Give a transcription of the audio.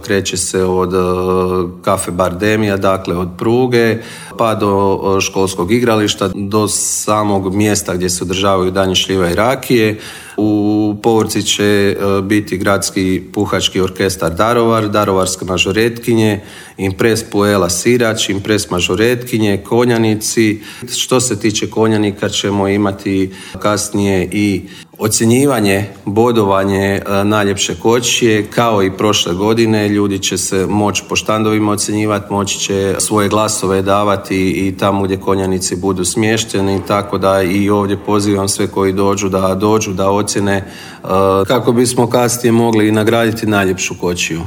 kreće se od kafe Bardemija, dakle od pruge, pa do školskog igrališta, do samog mjesta gdje se održavaju dani šljiva i rakije. U povorci će biti gradski puhački orkestar Darovar, darovarske mažoretkinje, Impres Puela Sirač, Impres mažoretkinje, konjanici. Što se tiče konjanika ćemo imati kasnije i ocjenjivanje, bodovanje najljepše kočije, kao i prošle godine. Ljudi će se moći po štandovima ocjenjivati, moći će svoje glasove davati i tamo gdje konjanici budu smješteni, tako da i ovdje pozivam sve koji dođu da ocjene kako bismo kasnije mogli nagraditi najljepšu kočiju.